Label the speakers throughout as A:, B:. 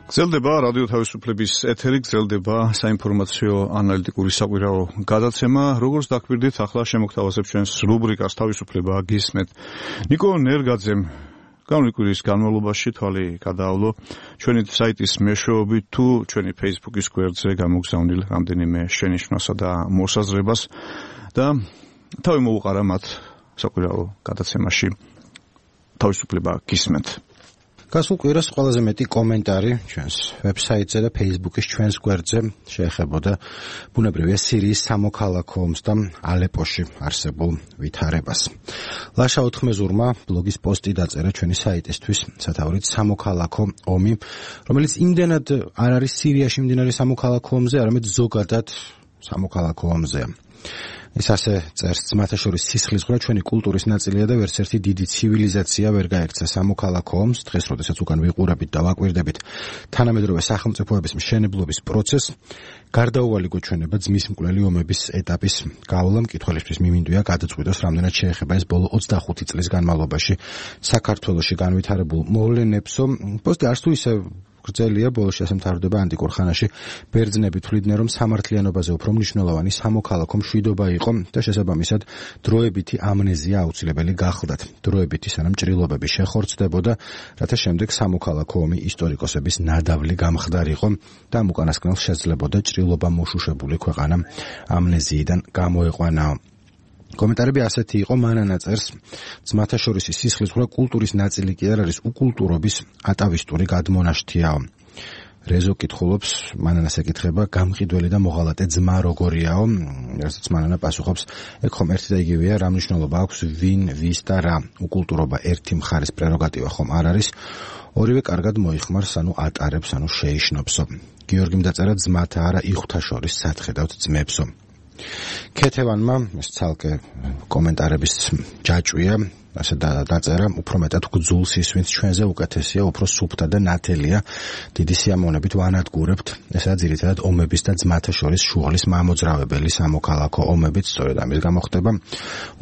A: გრძელდება რადიო თავისუფლების ეთერი, გრძელდება საინფორმაციო ანალიტიკური საკვირაო გადაცემა. Როგორც დაკვირდით, ახლა შემოგთავაზებ ჩვენს რუბრიკას თავისუფლება გისმენთ. ნიკო ნერგაძემ გამოვიდა კვირის განმავლობაში თვალი გადაავლო ჩვენი საიტის მეშვეობით თუ ჩვენი Facebook-ის გვერდზე გამოგზავნილ რამდენიმე შენიშვნასა და მოსაზრებას და თავი მოუყარა მათ საკვირაო გადაცემაში თავისუფლება გისმენთ.
B: გასულ კვირას ყველაზე მეტი კომენტარი ჩვენს ვებსაიტზე და Facebook-ის ჩვენს გვერდზე შეეხებოდა ბუნებრივია სირიის სამოქალაქო ომს და ალეპოში არსებულ ვითარებას. ლაშა ოთხმეზურმა ბლოგის პოსტი დაწერა ჩვენი საიტისთვის, სათაურით სამოქალაქო ომი, რომელიც იმდენად არ არის სირიაში მიმდინარე სამოქალაქო ომზე, არამედ ზოგადად სამოქალაქო ომზეა. ის ასე წერს, ძმათა შორის სისხლისღვრა ჩვენი კულტურის ნაწილია და ვერც ერთი დიდი ცივილიზაცია ვერ გაექცა სამოქალაქო ომს. დღეს, როდესაც უკან ვიყურებით და ვაკვირდებით თანამედროვე სახელმწიფოების მშენებლობის პროცესს, გარდაუვალი გვეჩვენება ძმის მკვლელი ომების ეტაპის გავლა. მკითხველისთვის მიმინდვია გადაწყვიტოს, რამდენად შეეხება ეს ბოლო 25 წლის განმავლობაში საქართველოში განვითარებულ მოვლენებსო. პოსტი არც თუ ისე გრძელია, ბოლოში ასე მთავრდება ანტიკურ ხანაში ბერძნები თვლიდნენ, რომ სამართლიანობაზე უფრო მნიშვნელოვანი სამოქალაქო მშვიდობა იყო და შესაბამისად დროებითი ამნეზია აუცილებელი გახლდათ. დროებითი სანამ ჭრილობები შეხორცდებოდა, რათა შემდეგ სამოქალაქო ომი ისტორიკოსების ნადავლი გამხდარიყო და ამ უკანასკნელს შეძლებოდა ჭრილობა მოშუშებული ქვეყანა ამნეზიიდან გამოეყვანაო. კომენტარები ასეთი იყო, მანანა წერს, ძმათა შორის სისხლისღვრა კულტურის ნაწილი კი არ არის, უკულტურობის ატავისტური გადმონაშთიაო. რეზო კითხულობს, მანანას ეკითხება, გამყიდველი და მოღალატე ძმა როგორიაო, რასაც მანანა პასუხობს, ეგ ხომ ერთი და იგივეა, რა მნიშვნელობა აქვს ვინ, ვის და რა. უკულტურობა ერთი მხარის პრეროგატივა ხომ არ არის, ორივე კარგად მოიხმარს, ანუ ატარებს, ანუ შეიშნობსო. გიორგიმ დაწერა, ძმათა არა იხვთა შორის სათხედავთ ძმებსო. ქეთევანმა ეს ცალკე კომენტარების ჯაჭვია, ასე დაწერა, უფრო მეტად გძულს ისვენს ჩვენზე უკეთესია, უფრო სუფთა და ნათელია, დიდი სიამოვნებით ვანადგურებთ, ესაა ძირითადად ომების და ძმათა შორის შუღლის მამოძრავებელი სამოქალაქო ომებით, სწორედ ამის გამო ხდება,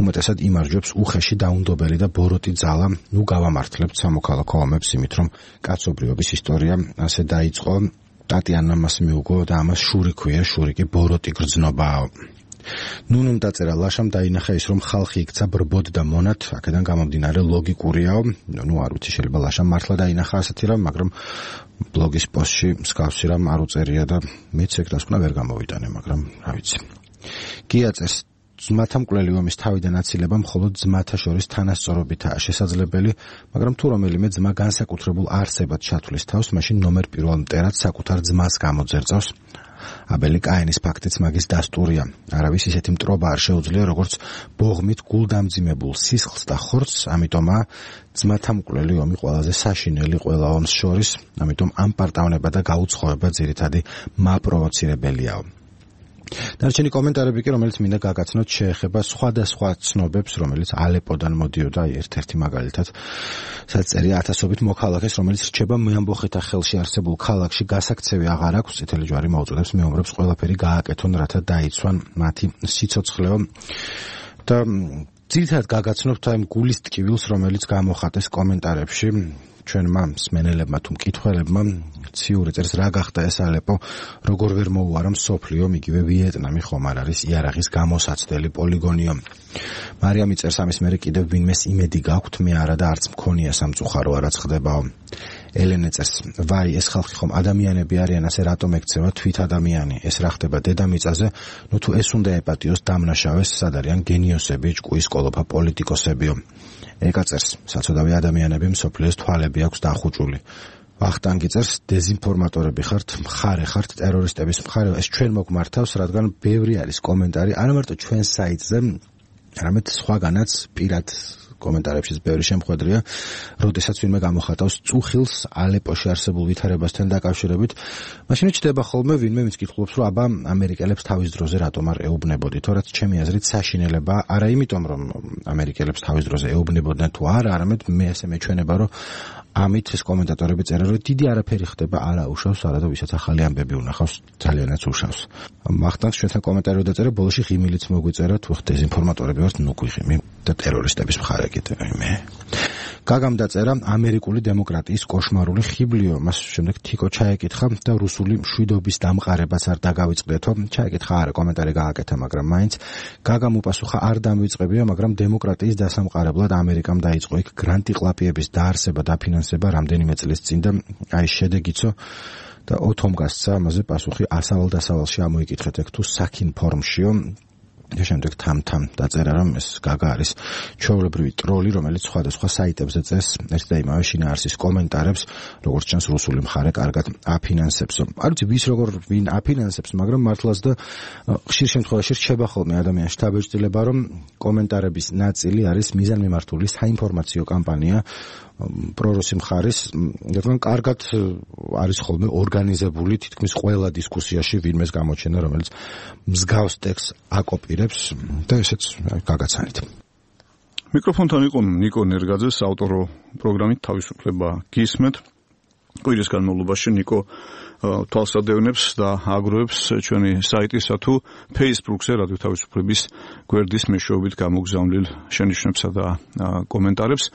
B: უმეტესად იმარჯვებს უხეში დაუნდობელი და ბოროტი ძალა, ნუ გავამართლებთ სამოქალაქო ომებს, იმით რომ კაცობრიობის ისტორია ასე დაიწყო. ტატიანა მას მიუგო და ამას შური ქვია, შური კი ბოროტი გრძნობაა. ნუნუმ დაწერა, ლაშამ დაინახა ის, რომ ხალხი იქცა ბრბოდ და მონად, აქედან გამომდინარე ლოგიკურიაო. ნუ არ ვიცი, შეიძლება ლაშამ მართლა დაინახა ასეთი რამ, მაგრამ ბლოგის პოსტში მსგავსი რამ არ უწერია და მეც ეგ დასკვნა ვერ გამოვიტანე, მაგრამ რა ვიცი. გია წერს, ძმათა მკვლელი ომის თავიდან აცილება მხოლოდ ძმათა შორის თანასწორობითაა შესაძლებელი, მაგრამ თუ რომელიმე ძმა განსაკუთრებულ არსებად ჩათვლის თავს, მაშინ ნომერ პირველ მტერად საკუთარ ძმას გამოძერწავს. აბელი კაენის ფაქტიც მაგის დასტურია. არავის ისეთი მტრობა არ შეუძლია, როგორც ბოღმით გულდამძიმებულ სისხლს და ხორცს, ამიტომაა ძმათა მკვლელი ომი ყველაზე საშინელი ყველა ომს შორის, ამიტომ ამ პარტავნება და გაუცხოება ძირითადი მაპროვოცირებელიაო. დარჩენი კომენტარები კი, რომელიც მინდა გაგაცნოთ, შეეხება სხვადასხვა ცნობებს, რომელიც ალეპოდან მოდიოდა, ერთ-ერთი მაგალითად, სადაც წერია ათასობით მოქალაქეს, რომელიც რჩება მეამბოხეთა ხელში არსებულ ქალაქში გასაქცევი აღარ აქვს, წითელი ჯვარი მოუწოდებს მეომრებს ყველაფერი გააკეთონ, რათა დაიცვან მათი სიცოცხლეო და ძირითადად გაგაცნობთ ამ გულის ტკივილს, რომელიც გამოხატეს კომენტარებში. ჩვენმა მსმენელებმა თუ მკითხველებმა ციური წერს, რა გახდა ეს ალეპო, როგორ ვერ მოუარა მსოფლიო, იგივე ვიეტნამი ხომ არ არის იარაღის გამოსაცდელი პოლიგონიო. მარიამი წერს, ამის მერე კიდევ ვინმეს იმედი გაქვთ, მე არა და არც მქონია სამწუხარო რაც ხდებაო. ელენე წერს, ვაი, ეს ხალხი ხომ ადამიანები არიან, ასე რატომ ექცევა თვით ადამიანი, ეს რა ხდება დედამიწაზე, ნუ თუ ეს უნდა ეპატიოს დამნაშავეს, სად არიან გენიოსები, ჭკუის კოლოფა პოლიტიკოსებიო. ეკაწერს, საცოდავი ადამიანები მსოფლიოს თვალები აქვს დახუჭული. ვახტანგი წერს, დეზინფორმატორები ხართ, მხარე ხართ, ტერორისტების მხარე, ეს ჩვენ მოგმართავს, რადგან ბევრი არის კომენტარი, არა მარტო ჩვენ საიტზე, არამედ სხვაგანაც პირად კომენტარებშიც ბევრი შემხვედრია, როდესაც ვინმე გამოხატავს წუხილს ალეპოში არსებულ ვითარებასთან დაკავშირებით, მაშინ ჩდება ხოლმე ვინმე ვინც კითხულობს, რომ აბა ამერიკელებს თავის დროზე რატომ არ ეუბნებოდით, რაც ჩემი აზრით საშინელება, არა იმიტომ რომ ამერიკელებს თავის დროზე ეუბნებოდნენ თუ არა, არამედ მე ასე მეჩვენება, რომ ამით ეს კომენტატორები წერენ, რომ დიდი არაფერი ხდება, არა უშავს, არა და ვისაც ახალი ამბები უნახავს, ძალიანაც უშავს. მახტანს ჩვენთან კომენტარი დაწერა, ბოლოში ღიმილიც მოგვიწერა, თუ ხ დეზინფორმატორები ვართ, ნუ გვიღიმი და ტერორისტების მხარე კიდე მე. გაგამ დაწერა ამერიკული დემოკრატიის კოშმარული ხიბლიო, მას შემდეგ თიკო ჩაეკითხა და რუსული მშვიდობის დამყარებას არ დაგავიწყდეთო. ჩაეკითხა არა, კომენტარი გააკეთა, მაგრამ მაინც გაგამ უპასუხა არ დამივიწყებია, მაგრამ დემოკრატიის დასამყარებლად ამერიკამ დაიწყო იქ გრანტი-ყლაპიების დაარსება, დაფინანსება რამდენიმე წლის წინ და აი შედეგიცო და ოთომ გასცა ამაზე პასუხი ასავალ-დასავალში ამოიკითხეთ ეგ თუ საქინ ფორმშიო. და შემდეგ თამ-თამ დაწერა, რომ ეს გაგა არის ჩვეულებრივი ტროლი, რომელიც სხვადასხვა საიტებზე წერს ერთ და იმავე შინაარსის კომენტარებს, როგორც ჩანს რუსული მხარე კარგად აფინანსებს. არ ვიცი ვის როგორ ვინ აფინანსებს, მაგრამ მართლაც და ხშირ შემთხვევაში რჩება ხოლმე ადამიანში დაბეჭდილება, რომ კომენტარების ნაწილი არის მიზანმიმართული საინფორმაციო კამპანია პრორუსი მხარის, რადგან კარგად არის ხოლმე ორგანიზებული თითქმის ყველა დისკუსიაში ვინმეს გამოჩენა, რომელიც მსგავს ტექსტს აკოპირებს და ესეც გაგაცანით.
A: მიკროფონთან იყო ნიკო ნერგაძე, საავტორო პროგრამით თავისუფლება გისმენთ. კვირის განმავლობაში ნიკო თვალსადევნებს და აგროვებს ჩვენი საიტისა თუ Facebook-ზე რადიო თავისუფლების გვერდის მეშვეობით გამოგზავნილ შენიშვნებსა და კომენტარებს.